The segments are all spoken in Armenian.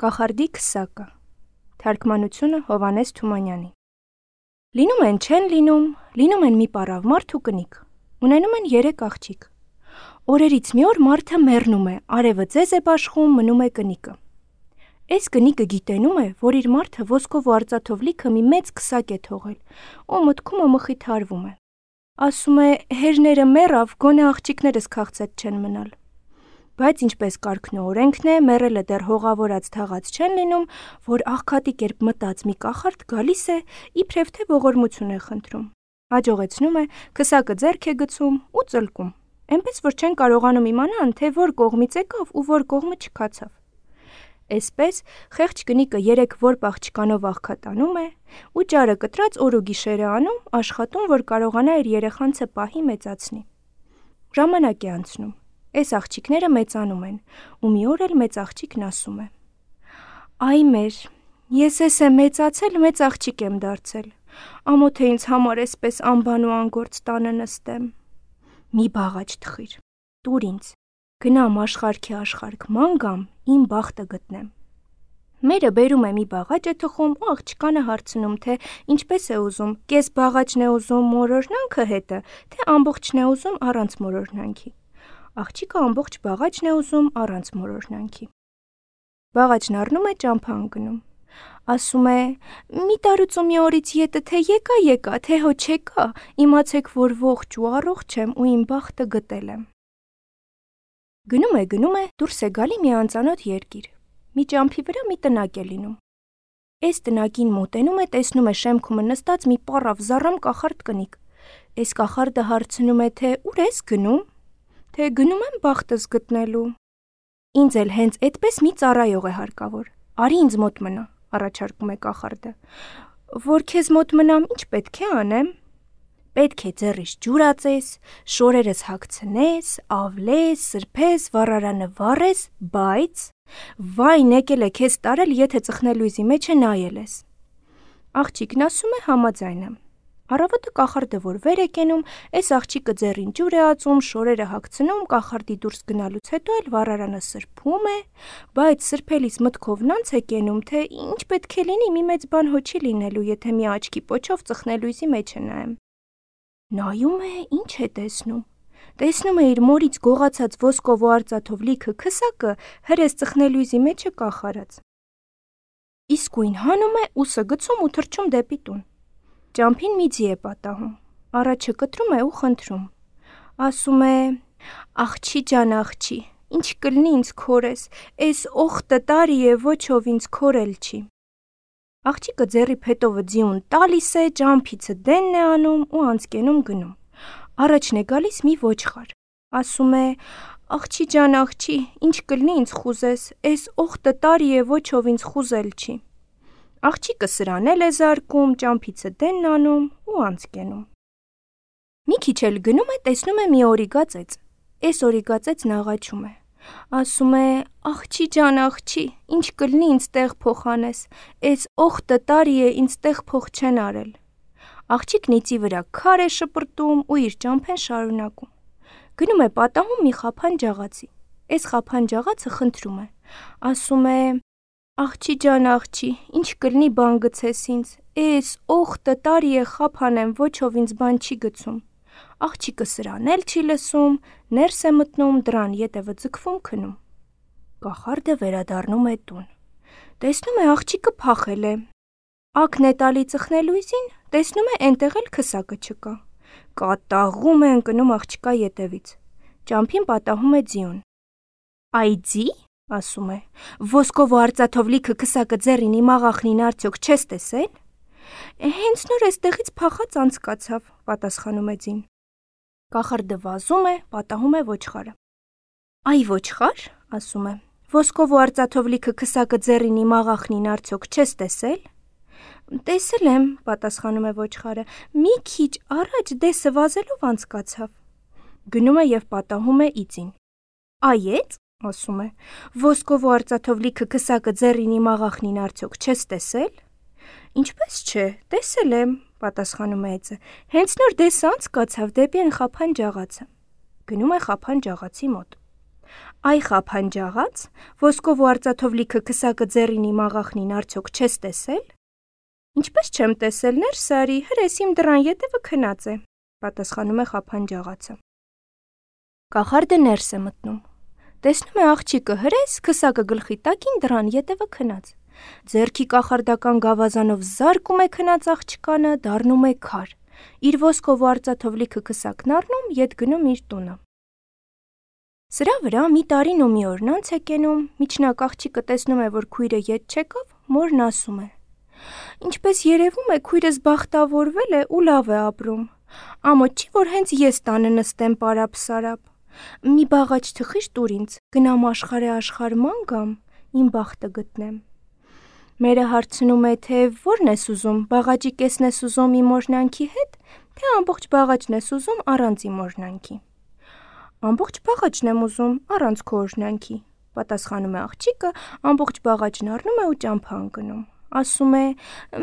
Կախարդի քսակը։ Թարգմանությունը Հովհաննես Թումանյանի։ Լինում են չեն լինում են մի պառավ մարդ ու կնիկ։ Ունենում են 3 աղջիկ։ Օրերից մի օր մարդը մեռնում է, արևը ձեզ է բաշխում, մնում է կնիկը։ Այս կնիկը գիտենում է, որ իր մարդը ոսկով ու արծաթով լիքը մի մեծ քսակ է թողել, ու մտքում ու մխիթարվում է։ Ասում է, հերները մեռավ, գոնե աղջիկներս քաղցած չեն մնալ։ Բայց ինչպես կարգն ու օրենքն է, մեռելը դեռ հողավորած թաղած չեն լինում, որ աղքատի կերպ մտած մի կախարդ գալիս է, իբրև թե ողորմություն է խնդրում։ Հաջողեցնում է, քսակը ձեռք է գցում ու ծլկում, այնպես որ չեն կարողանում իմանան, թե որ կողմից եկավ ու որ կողմը չքացավ։ Այսպես խեղճ կնիկը 3 որբ աղջկանով աղքատանում է ու ճարը կտրած օր ու գիշերը անում, աշխատում, որ կարողանա իր երեխանցը պահի մեծացնի։ Ժամանակ է անցնում։ Այս աղջիկները մեծանում են, ու մի օր էլ մեծ աղջիկն ասում է. «Այ մեր, ես էս եմ մեծացել, մեծ աղջիկ եմ դարձել, ամոթ է ինձ համար էսպես անբան ու անգործ տանը նստեմ։ Մի բաղաճ թխիր, տուր ինձ, գնամ աշխարհքի աշխարհք ման գամ, իմ բախտը գտնեմ»։ Մերը բերում է մի բաղաճ է թխում ու աղջկանը հարցնում, թե ինչպես է ուզում, կես բաղաճն է ուզում մորորնանքը հետը, թե ամբողջն է ուզում առանց մորորնանքի։ Աղջիկը ամբողջ բաղաճն է ուզում առանց մորորնանքի։ Բաղաճն առնում է ճամփա ընկնում։ Ասում է. «Մի տարուց ու մի օրից ետը թե եկա, թե հո չեկա, իմացեք, որ ողջ ու առողջ եմ ու իմ բախտը գտել եմ»։ Գնում է, դուրս է գալի մի անծանոթ երկիր։ Մի ճամփի վրա մի տնակ է լինում։ Այս տնակին մոտենում է, տեսնում է շեմքումը նստած մի պառավ զառամ կախարդ կնիկ։ Այս կախարդը հարցնում է, թե ուր ես գնում, թե գնում եմ բախտս գտնելու։ Ինձ էլ հենց այդպես մի ծառայող է հարկավոր։ Արի ինձ մոտ մնա, առաջարկում է կախարդը։ Որ քեզ մոտ մնամ, ինչ պետք է անեմ։ Պետք է ձեռիս ջուր ածես, շորերս հագցնես, ավլես, սրբես, վառարանը վառես, բայց վայն եկել է քեզ տարել, եթե ծխնելույզի մեջ է նայել ես։ Աղջիկն ասում է համաձայն եմ։ Առավոտը կախարդը որ վեր է կենում, այս աղջիկը ձեռին ջուր է ածում, շորերը հագցնում, կախարդի դուրս գնալուց հետո էլ վառարանը սրբում է, բայց սրբելիս մտքով նանց է կենում, թե ինչ պետք է լինի, մի մեծ բան հո չի լինելու, եթե մի աչքի պոչով ծխնելույզի մեջ է նայեմ։ Նայում է, ինչ է տեսնում։ Տեսնում է իր մորից գողացած ոսկով ու արծաթով լիքը քսակը հրես ծխնելույզի մեջ է կախարած։ Իսկույն հանում է, ուսը գցում ու թռչում դեպի տուն։ Ճամփին մի ձի է պատահում, առաջը կտրում է ու խնդրում։ Ասում է. «Աղջի ջան, աղջի, ինչ կլինի ինձ քորես, էս օխտը տարի է, ոչով ինձ քորել չի»։ Աղջիկը ձեռի փետովը ձիուն տալիս է, ճամփիցը դենն է անում ու անցկենում գնում։ Առաջն է գալիս մի ոչխար։ Ասում է. «Աղջի ջան, աղջի, ինչ կլինի ինձ խուզես, էս օխտը տարի է, ոչով ինձ խուզել չի»։ Աղջիկը սրան էլ է զարկում, ճամփիցը դենն անում ու անցկենում։ Մի քիչ էլ գնում է, տեսնում է մի օրիգա ծեծ։ Այս օրիգա ծեծն աղաչում է։ Ասում է. «Աղջի ջան, աղջի, ինչ կլինի ինձ տեղ փոխանես, էս օխտը տարի է, ինձ տեղ փոխ չեն արել»։ Աղջիկն իծի վրա քար է շպրտում ու իր ճամփեն շարունակում։ Գնում է պատահում մի խափան ջաղացի։ Այս խափան ջաղացը խնդրում է։ Ասում է. «Աղջի ջան, աղջի, ինչ կլինի բան գցես ինձ, էս օխտը տարի է խափան եմ, ոչով ինձ բան չի գցում»։ Աղջիկը սրան էլ չի լսում, ներս է մտնում, դռան ետևը ձգվում քնում։ Կախարդը վերադառնում է տուն։ Տեսնում է աղջիկը փախել է։ Ակն է տալի ծխնելույզին, տեսնում է այնտեղ էլ քսակը չկա։ Կատաղում է ընկնում աղջկա ետևից։ Ճամփին պատահում է ձիուն։ «Այ ձի», ասում է, «ոսկով ու արծաթով լիքը քսակը ձեռին իմ աղախնին արդյոք չես տեսել»։ Հենց նոր էստեղից փախած անցկացավ, պատասխանում է ձին։ Կախարդը վազում է, պատահում է ոչխարը։ «Այ ոչխար», ասում է, «ոսկով ու արծաթով լիքը քսակը ձեռին իմ աղախնին արդյոք չես տեսել»։ Տեսել եմ, պատասխանում է ոչխարը, մի քիչ առաջ դեսը վազելով անցկացավ։ Գնում է և պատահում է իծին։ «Այ», ասում է, «ոսկով ու արծաթով լիքը քսակը ձեռին իմ աղախնին արդյոք չես տեսել»։ Ինչպես չէ, տեսել եմ, պատասխանում է այծը, հենց նոր դեսը անցկացավ դեպի այն խափան ջաղացը։ Գնում է խափան ջաղացի մոտ։ Այ խափանջաղաց, ոսկով ու արծաթով լիքը քսակը ձեռին իմ աղախնին արդյոք չես տեսել։ Ինչպես չեմ տեսել, ներս արի, հրես իմ դռան ետևը քնած է, պատասխանում է խափանջաղացը։ Կախարդը ներս է մտնում։ Տեսնում է աղջիկը հրես, քսակը գլխի տակին դռան ետևը քնած։ Ձեռքի կախարդական գավազանով զարկում է քնած աղջկանը, դառնում է քար։ Իր ոսկով ու արծաթով լիքը քսակն առնում, ետ գնում իր տունը։ Սրա վրա մի տարին ու մի օրն անց է կենում, միջնակ աղջիկը տեսնում է, որ քույրը ետ չեկավ, մորն ասում է. Ինչպես երևում է, քույրս բախտավորվել է ու լավ է ապրում։ Ամոթ չի, որ հենց ես տանը նստեմ պարապ-սարապ։ Մի բաղաչ թխիշ տուր ինձ, գնամ աշխարհ ման գամ, իմ բախտը գտնեմ։ Մերը հարցնում է, թե ո՞րն ես ուզում, բաղաճի կեսն ես ուզում իմ օրհնանքի հետ, թե ամբողջ բաղաճն ես ուզում առանց իմ օրհնանքի։ Ամբողջ բաղաճն եմ ուզում առանց քո օրհնանքի, պատասխանում է աղջիկը, ամբողջ բաղաճն առնում է ու ճամփա ընկնում։ Ասում է.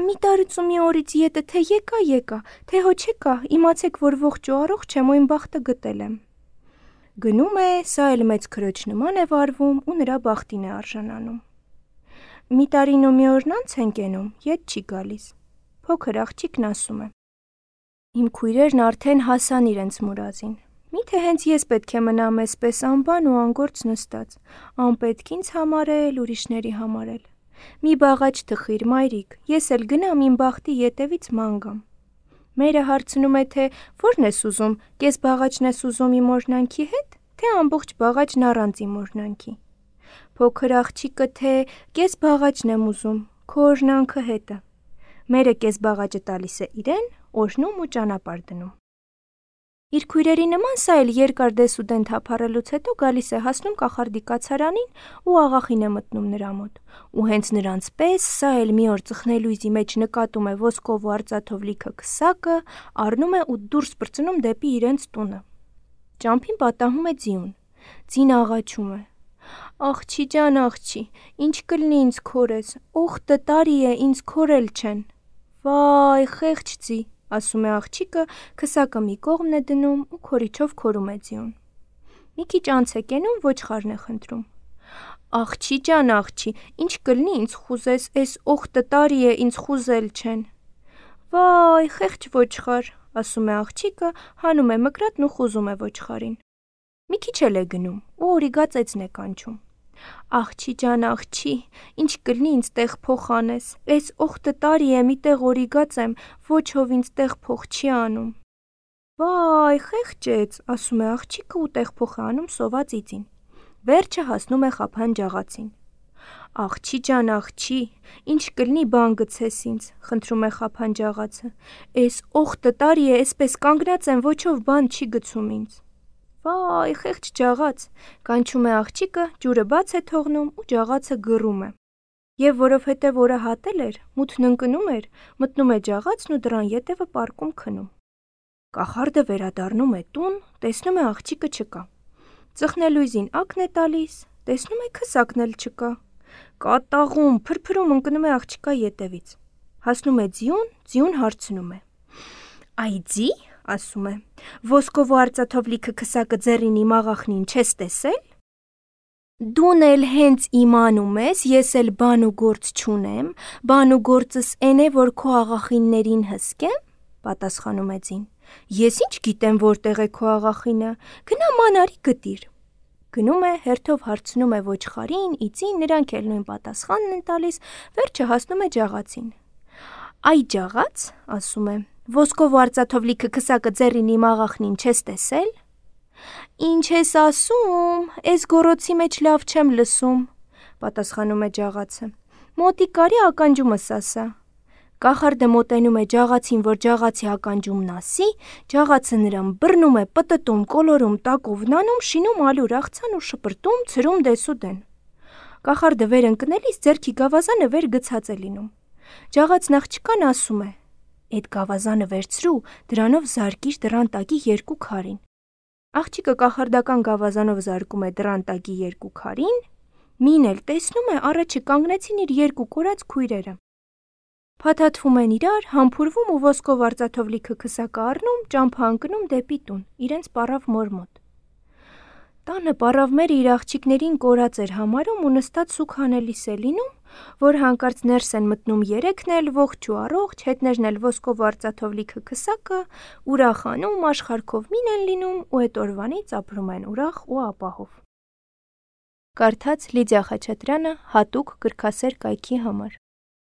մի տարուց ու մի օրից ետը թե եկա, թե հո չեկա, իմացեք, որ ողջ ու առողջ եմ ու իմ բախտը գտել եմ։ Գնում է, սա էլ մեծ քրոջ նման է վարվում ու նրա բախտին է արժանանում։ Մի տարին ու մի օրն անց են կենում, ետ չի գալիս։ Փոքր աղջիկն ասում է. իմ քույրերն արդեն հասան իրենց մուրազին։ Միթե հենց ես պետք է մնամ այսպես անբան ու անգործ նստած, անպետք ինձ համարել, ուրիշների համարել։ Մի բաղաչ թխիր, մայրիկ, ես էլ գնամ իմ բախտի ետևից ման գամ։ Մերը հարցնում է, թե ո՞րն ես ուզում, կես բաղաճն ես ուզում իմ օրհնանքի հետ, թե ամբողջ բաղաճն առանց իմ օրհնանքի։ Փոքր աղջիկը, թե կես բաղաճն եմ ուզում, քո օրհնանքը հետը։ Մերը կես բաղաճը տալիս է իրեն, օրհնում ու ճանապարհ դնում։ Իր քույրերի նման սա էլ երկար դեսուդեն թափառելուց հետո գալիս է հասնում կախարդի կացարանին ու աղախին է մտնում նրա մոտ։ Ու հենց նրանց պես սա էլ մի օր ծխնելույզի մեջ նկատում է ոսկով ու արծաթով լիքը քսակը, առնում է ու դուրս պրծնում դեպի իրենց տունը։ Ճամփին պատահում է ձիուն։ Ձին աղաչում է. Աղջի ջան, աղջի, ինչ կլինի ինձ քորես, օխտը տարի է, ինձ քորել չեն։ Վայ, խեղճ ձի, ասում է աղջիկը, քսակը մի կողմն է դնում ու քորիչով քորում է ձիուն։ Մի քիչ անց է կենում, ոչխարն է խնդրում. Աղջի ջան, աղջի, ինչ կլինի ինձ խուզես, էս օխտը տարի է, ինձ խուզել չեն։ Վայ, խեղճ ոչխար, ասում է աղջիկը, հանում է մկրատն ու խուզում է ոչխարին։ Մի քիչ էլ է գնում ու օրիգա ծեծն է կանչում։ Աղջի ջան, աղջի, ինչ կլինի ինձ տեղ փոխ անես, էս օխտը տարի է, մի տեղ օրիգած եմ, ոչ ով ինձ տեղ փոխ չի անում։ Վայ, խեղճեց, ասում է աղջիկը ու տեղ փոխ է անում սոված իծին։ Վերջը հասնում է խափանջաղացին։ Աղջի ջան, աղջի, ինչ կլինի բան գցես ինձ, խնդրում է խափանջաղացը։ Էս օխտը տարի է, էսպես կանգնած եմ, ոչ ով բան չի գցում ինձ։ Վայ, խեղճ ջաղաց, կանչում է աղջիկը, ջուրը բաց է թողնում ու ջաղացը գռում է։ Եվ որովհետև օրը հատել էր, մութն ընկնում էր, մտնում է ջաղացն ու դռան ետևը պարկում քնում։ Կախարդը վերադառնում է տուն, տեսնում է աղջիկը չկա։ Ծխնելույզին ակն է տալիս, տեսնում է քսակն էլ չկա։ Կատաղում, փրփրում ընկնում է աղջկա ետևից։ Հասնում է ձիուն հարցնում է. Այ ձի, ասում է, ոսկով ու արծաթով լիքը քսակը ձեռին իմ աղախնին չես տեսել։ Դուն էլ հենց իմանում ես, ես էլ բան ու գործ չունեմ, բան ու գործս էն է, որ քո աղախիններին հսկեմ, պատասխանում է ձին։ Ես ինչ գիտեմ որտեղ է քո աղախինը, գնա մանարի գտիր։ Գնում է, հերթով հարցնում է ոչխարին, իծին, նրանք էլ նույն պատասխանն են տալիս, վերջը հասնում է ջաղացին։ Այ ջաղաց, ասում է, ոսկով ու արծաթով լիքը քսակը ձեռին իմ աղախնին չես տեսել։ Ինչ ես ասում, էս գոռոցի մեջ լավ չեմ լսում, պատասխանում է ջաղացը։ Մոտիկ կարի ականջումս ասա։ Կախարդը մոտենում է ջաղացին, որ ջաղացի ականջումն ասի, ջաղացը նրան բռնում է, պտտում, կոլորում, տակով նանում, շինում ալյուր աղցան ու շպրտում, ցրում դեսուդեն։ Կախարդը վեր ընկնելիս ձեռքի գավազանը վեր գցած է լինում։ Ջաղացն աղջկան ասում է. Էդ գավազանը վերցրու, դրանով զարկիր դռան տակի երկու քարին։ Աղջիկը կախարդական գավազանով զարկում է դռան տակի երկու քարին, մին էլ տեսնում է առաջը կանգնեցին իր երկու կորած քույրերը։ Փաթաթվում են իրար, համբուրվում ու ոսկով արծաթով լիքը քսակը առնում, ճամփա ընկնում դեպի տուն, իրենց պառավ մոր մոտ։ Տանը պառավմերը իր աղջիկներին կորած էր համարում ու նստած սուք հանելիս է լինում, որ հանկարծ ներս են մտնում երեքն էլ, ողջ ու առողջ, հետներն էլ ոսկով ու արծաթով լիքը քսակը, ուրախանում, աշխարհքով մին են լինում ու էդ օրվանից ապրում են ուրախ ու ապահով։ Կարդաց Լիդիա Խաչատրյանը հատուկ գրքասեր կայքի համար։